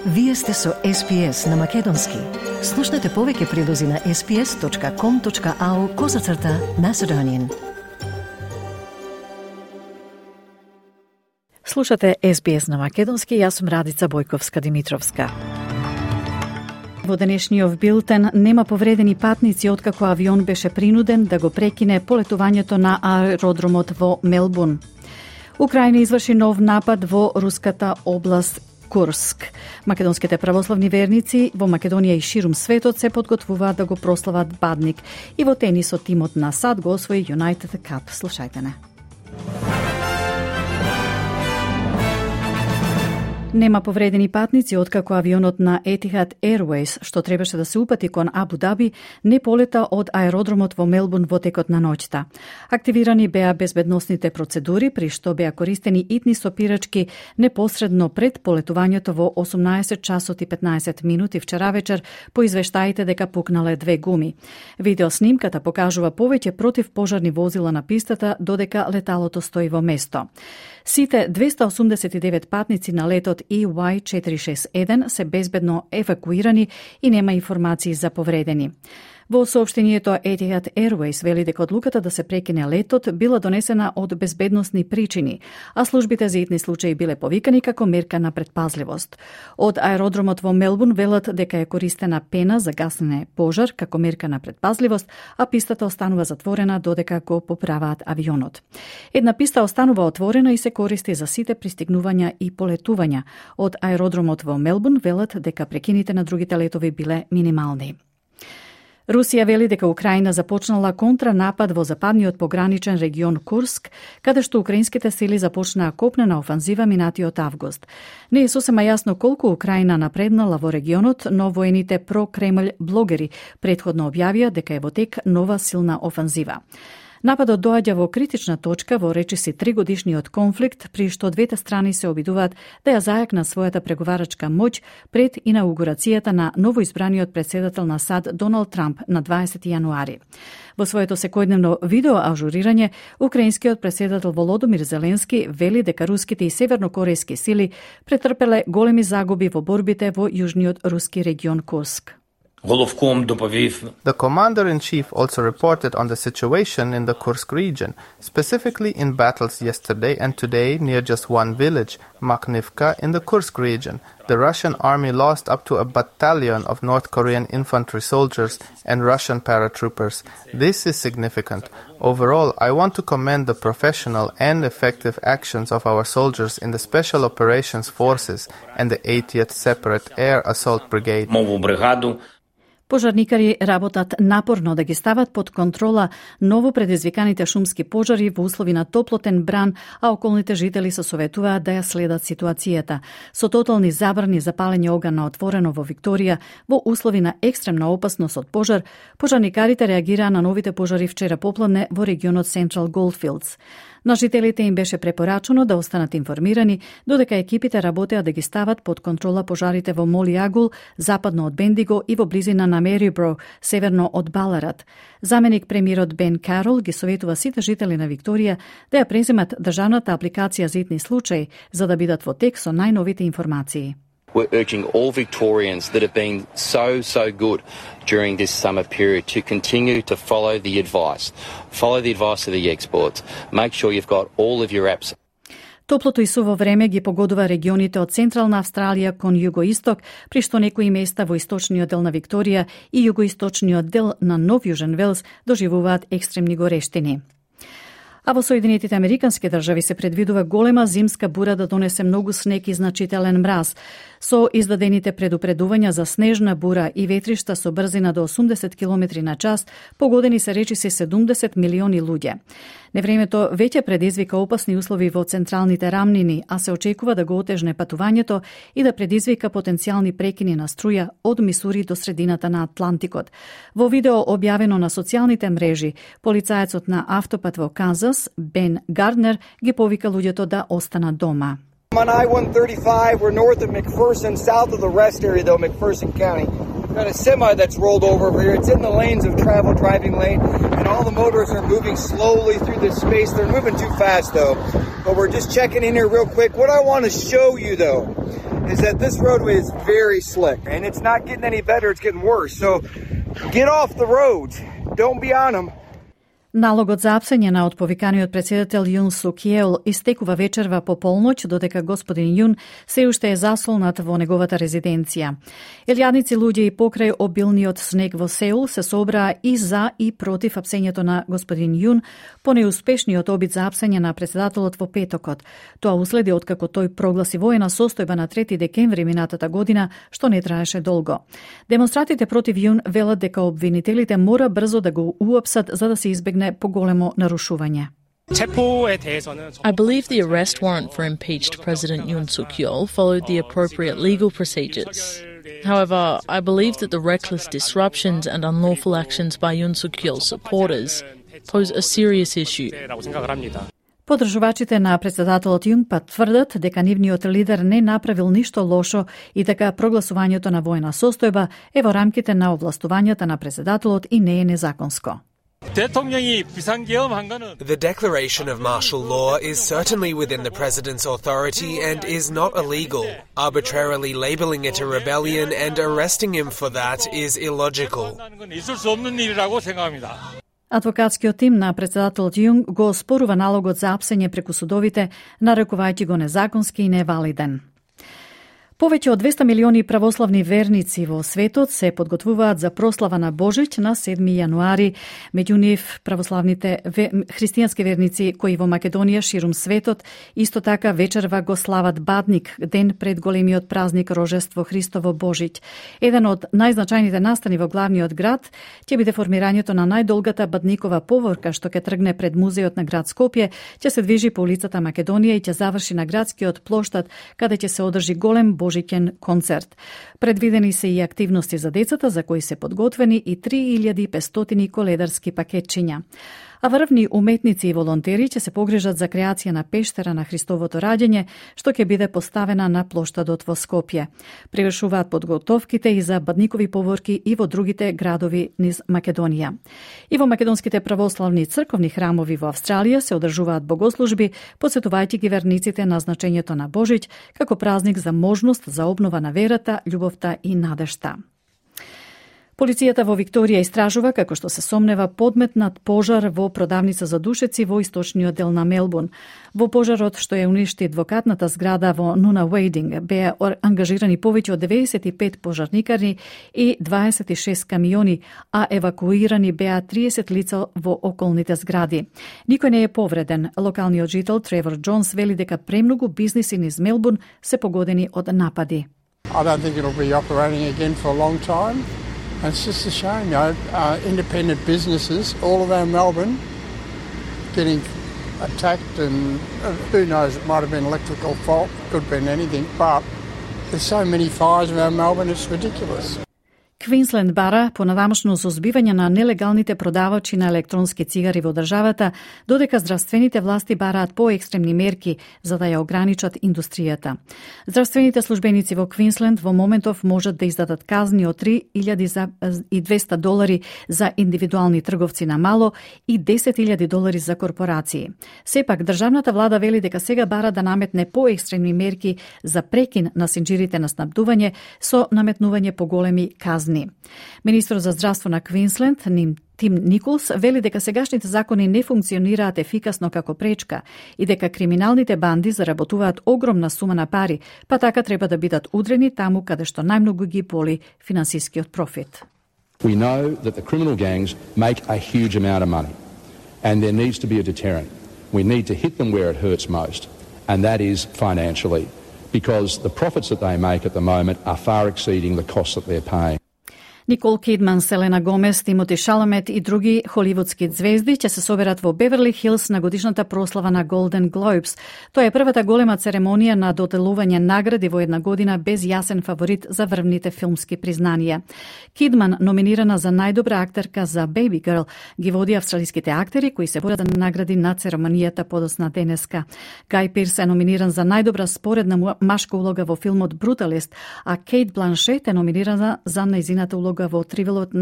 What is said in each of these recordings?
Вие сте со SPS на Македонски. Слушнете повеќе прилози на sps.com.au/Macedonian. Слушате SBS на Македонски, јас сум Радица Бојковска-Димитровска. Во денешниот билтен нема повредени патници откако авион беше принуден да го прекине полетувањето на аеродромот во Мелбурн. Украина изврши нов напад во руската област Курск. Македонските православни верници во Македонија и ширум светот се подготвуваат да го прослават Бадник и во тенисот тимот на САД го освои United Cup. Слушајте не. Нема повредени патници откако авионот на Etihad Airways, што требаше да се упати кон Абу Даби, не полета од аеродромот во Мелбурн во текот на ноќта. Активирани беа безбедносните процедури, при што беа користени итни сопирачки непосредно пред полетувањето во 18 часот и 15 минути вчера вечер, по извештаите дека пукнале 2 гуми. Видеоснимката покажува повеќе противпожарни возила на пистата, додека леталото стои во место. Сите 289 патници на летот EY461 се безбедно евакуирани и нема информации за повредени. Во соопштението Etihad Airways вели дека одлуката да се прекине летот била донесена од безбедносни причини, а службите за итни случаи биле повикани како мерка на предпазливост. Од аеродромот во Мелбурн велат дека е користена пена за гасење пожар како мерка на предпазливост, а пистата останува затворена додека го поправаат авионот. Една писта останува отворена и се користи за сите пристигнувања и полетувања. Од аеродромот во Мелбурн велат дека прекините на другите летови биле минимални. Русија вели дека Украина започнала контранапад во западниот пограничен регион Курск, каде што украинските сили започнаа копнена офанзива минатиот август. Не е сосема јасно колку Украина напреднала во регионот, но воените про-Кремљ блогери претходно објавија дека е во тек нова силна офанзива. Нападот доаѓа во критична точка во речиси 3-годишниот конфликт, при што двете страни се обидуваат да ја зајакнат својата преговарачка моќ пред инаугурацијата на новоизбраниот председател на САД Доналд Трамп на 20 јануари. Во своето секојдневно видео ажурирање, украинскиот председател Володомир Зеленски вели дека руските и севернокорејски сили претрпеле големи загуби во борбите во јужниот руски регион Курск. The commander-in-chief also reported on the situation in the Kursk region, specifically in battles yesterday and today near just one village, Makhnivka, in the Kursk region. The Russian army lost up to a battalion of North Korean infantry soldiers and Russian paratroopers. This is significant. Overall, I want to commend the professional and effective actions of our soldiers in the Special Operations Forces and the 80th Separate Air Assault Brigade. Пожарникари работат напорно да ги стават под контрола ново предизвиканите шумски пожари во услови на топлотен бран, а околните жители се советуваат да ја следат ситуацијата. Со тотални забрани за палење оган на отворено во Викторија, во услови на екстремна опасност од пожар, пожарникарите реагираа на новите пожари вчера попладне во регионот Central Goldfields. На жителите им беше препорачено да останат информирани, додека екипите работеа да ги стават под контрола пожарите во Молиагул, западно од Бендиго и во близина на Мерибро, северно од Баларат. Заменик премиерот Бен Карол ги советува сите жители на Викторија да ја преземат државната апликација за итни случаи, за да бидат во тек со најновите информации. We're urging all Victorians that have been so good during this summer period to continue to follow the advice. Follow the advice of the experts. Make sure you've got all of your apps. Топлото и суво време ги погодува регионите од Централна Австралија кон југоисток, при што некои места во источниот дел на Викторија и југоисточниот дел на Нов Јужен Велс доживуваат екстремни горештини. А во Соединетите Американски држави се предвидува голема зимска бура да донесе многу снег и значителен мраз. Со издадените предупредувања за снежна бура и ветришта со брзина до 80 км на час, погодени се речиси 70 милиони луѓе. Невремето веќе предизвика опасни услови во централните рамнини, а се очекува да го отежне патувањето и да предизвика потенцијални прекини на струја од Мисури до средината на Атлантикот. Во видео објавено на социјалните мрежи, полицаецот на автопат во Канзас, Бен Гарднер, ги повика луѓето да останат дома. On I-135, we're north of McPherson, south of the rest area, though, McPherson County. We've got a semi that's rolled over here. It's in the lanes of travel, driving lane, and all the motorists are moving slowly through this space. They're moving too fast, though. But we're just checking in here real quick. What I want to show you, though, is that this roadway is very slick, and it's not getting any better, it's getting worse. So get off the roads. Don't be on them. Налогот за апсење од повиканиот председател Јун Сук Јеол истекува вечерва по полноќ, додека господин Јун се уште е засолнат во неговата резиденција. Илјадници луѓе и покрај обилниот снег во Сеул се собраа и за и против апсењето на господин Јун по неуспешниот обид за апсење на председателот во петокот. Тоа уследи откако тој прогласи воена состојба на 3 декември минатата година, што не траеше долго. Демонстратите против Јун велат дека обвинителите мора брзо да го уапсат за да се избегне поголемо нарушување. I believe the arrest warrant for impeached President Yoon Suk-yeol followed the appropriate legal procedures. However, I believe that the reckless disruptions and unlawful actions by Yoon Suk-yeol's supporters pose a serious issue. Подржувачите на председателот Јун тврдат дека нивниот лидер не направил ништо лошо и дека прогласувањето на воена состојба е во рамките на овластувањата на председателот и не е незаконско. The declaration of martial law is certainly within the president's authority and is not illegal. Arbitrarily labeling it a rebellion and arresting him for that is illogical. Адвокатскиот тим на председателот Јун го оспорува налогот за апсење преку судовите, нарекувајќи го незаконски и невалиден. Повеќе од 200 милиони православни верници во светот се подготвуваат за прослава на Божиќ на 7 јануари. Меѓу нив православните христијански верници кои во Македонија ширум светот исто така вечерва го слават Бадник, ден пред големиот празник Рожество Христово Божиќ. Еден од најзначајните настани во главниот град ќе биде формирањето на најдолгата Бадникова поворка што ќе тргне пред музеот на град Скопје, ќе се движи по улицата Македонија и ќе заврши на градскиот плоштад каде ќе се одржи голем Божиќен концерт. Предвидени се и активности за децата за кои се подготвени и 3500 коледарски пакетчиња. А врвни уметници и волонтери ќе се погрижат за креација на пештера на Христовото раѓање, што ќе биде поставена на плоштадот во Скопје. Привршуваат подготовките и за Бадникови поворки и во другите градови низ Македонија. И во македонските православни црковни храмови во Австралија се одржуваат богослужби, потсетувајќи ги верниците на значењето на Божиќ како празник за можност за обнова на верата, љубовта и надежта. Полицијата во Викторија истражува како што се сомнева подметнат пожар во продавница за душеци во источниот дел на Мелбурн. Во пожарот што ја уништи адвокатната зграда во Нуна Уейдинг беа ангажирани повеќе од 95 пожарникари и 26 камиони, а евакуирани беа 30 лица во околните згради. Никој не е повреден. Локалниот жител Тревор Джонс вели дека премногу бизниси низ Мелбурн се погодени од напади. I don't think it'll be operating again for a long time. It's just a shame, independent businesses all around Melbourne getting attacked, and who knows, it might have been electrical fault, could have been anything, but there's so many fires around Melbourne, it's ridiculous. Квинсленд бара понадамошно созбивање на нелегалните продавачи на електронски цигари во државата, додека здравствените власти бараат поекстремни мерки за да ја ограничат индустријата. Здравствените службеници во Квинсленд во моментов можат да издадат казни од $3,200 за индивидуални трговци на мало и $10,000 за корпорации. Сепак, државната влада вели дека сега бара да наметне поекстремни мерки за прекин на синџирите на снабдување со наметнување поголеми казни. Министрот за здравство на Квинсленд, Тим Николс, вели дека сегашните закони не функционираат ефикасно како пречка и дека криминалните банди заработуваат огромна сума на пари, па така треба да бидат удрени таму каде што најмногу ги боли финансискиот профит. We know that the criminal gangs make a huge amount of money and there needs to be a deterrent. We need to hit them where it hurts most, and that is financially, because the profits that they make at the moment are far exceeding the costs that they're paying. Никол Кидман, Селена Гомес, Тимоти Шаламет и други холивудски звезди ќе се соберат во Беверли Хилс на годишната прослава на Golden Globes. Тоа е првата голема церемонија на доделување награди во една година без јасен фаворит за врвните филмски признанија. Кидман, номинирана за најдобра актерка за Baby Girl, ги води австралиските актери кои се борат за награди на церемонијата подоцна денеска. Гај Пирс е номиниран за најдобра споредна машка улога во филмот Brutalist, а Кейт Бланшет е номинирана за нејзината улога улога во трилерот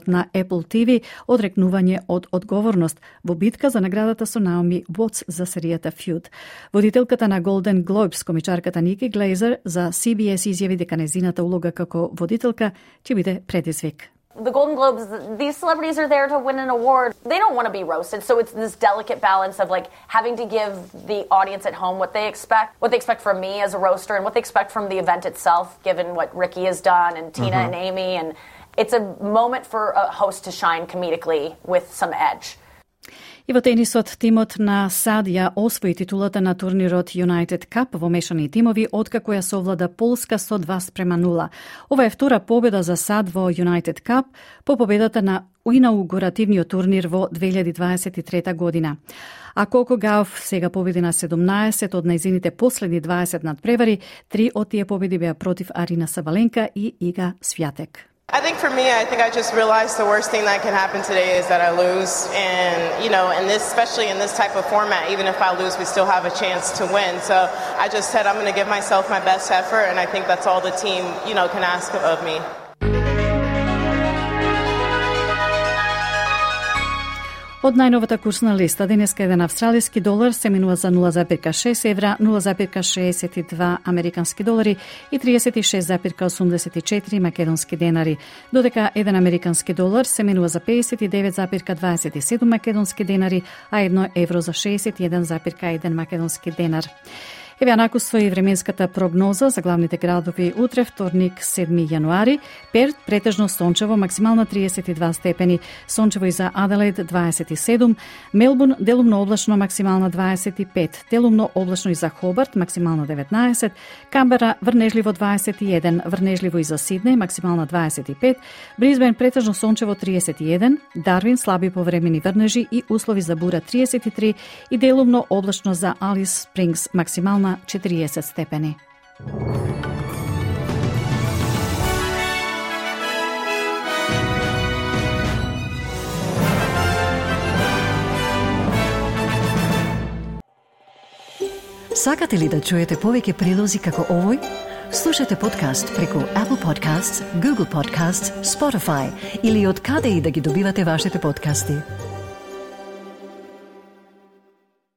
на Apple TV Одрекнување од одговорност во битка за наградата со Наоми Уотс за серијата Feud. Водителката на Golden Globes, комичарката Ники Глейзер, за CBS изјави дека нејзината улога како водителка ќе биде предизвик. The Golden Globes, these celebrities are there to win an award. They don't want to be roasted, so it's this delicate balance of like having to give the audience at home what they expect from me as a roaster and what they expect from the event itself, given what Ricky has done and Tina and Amy, and it's a moment for a host to shine comedically with some edge. И во тенисот, тимот на САД ја освои титулата на турнирот United Cup во мешани тимови, откако ја совлада Полска со 2:0. Ова е втора победа за САД во United Cup по победата на инаугуративниот турнир во 2023 година. А Коко Гауф сега победи на 17 од нејзините последни 20 надпревари, 3 од тие победи беа против Арина Сабаленка и Ига Свјатек. I think for me, I just realized the worst thing that can happen today is that I lose. And, especially in this type of format, even if I lose, we still have a chance to win. So I just said I'm going to give myself my best effort, and I think that's all the team, can ask of me. Од најновата курсна листа, денеска еден австралиски долар се минува за 0,6 евра, 0,62 американски долари и 36,84 македонски денари, додека еден американски долар се минува за 59,27 македонски денари, а 1 евро за 61,1 македонски денар. Еве накусва и временската прогноза за главните градови утре, вторник, 7 јануари. Перт претежно сончево, максимално 32 степени, сончево и за Аделаид 27, Мелбурн делумно облачно, максимално 25, делумно облачно и за Хобарт, максимално 19, Камбера врнежливо 21, врнежливо и за Сиднеј, максимално 25, Брисбен претежно сончево 31, Дарвин слаби повремени врнежи и услови за бура 33 и делумно облачно за Алис Спрингс, максимално 40 степени. Сакате ли да чуете повеќе прилози како овој? Слушате подкаст преку Apple Podcasts, Google Podcasts, Spotify или од каде и да ги добивате вашите подкасти.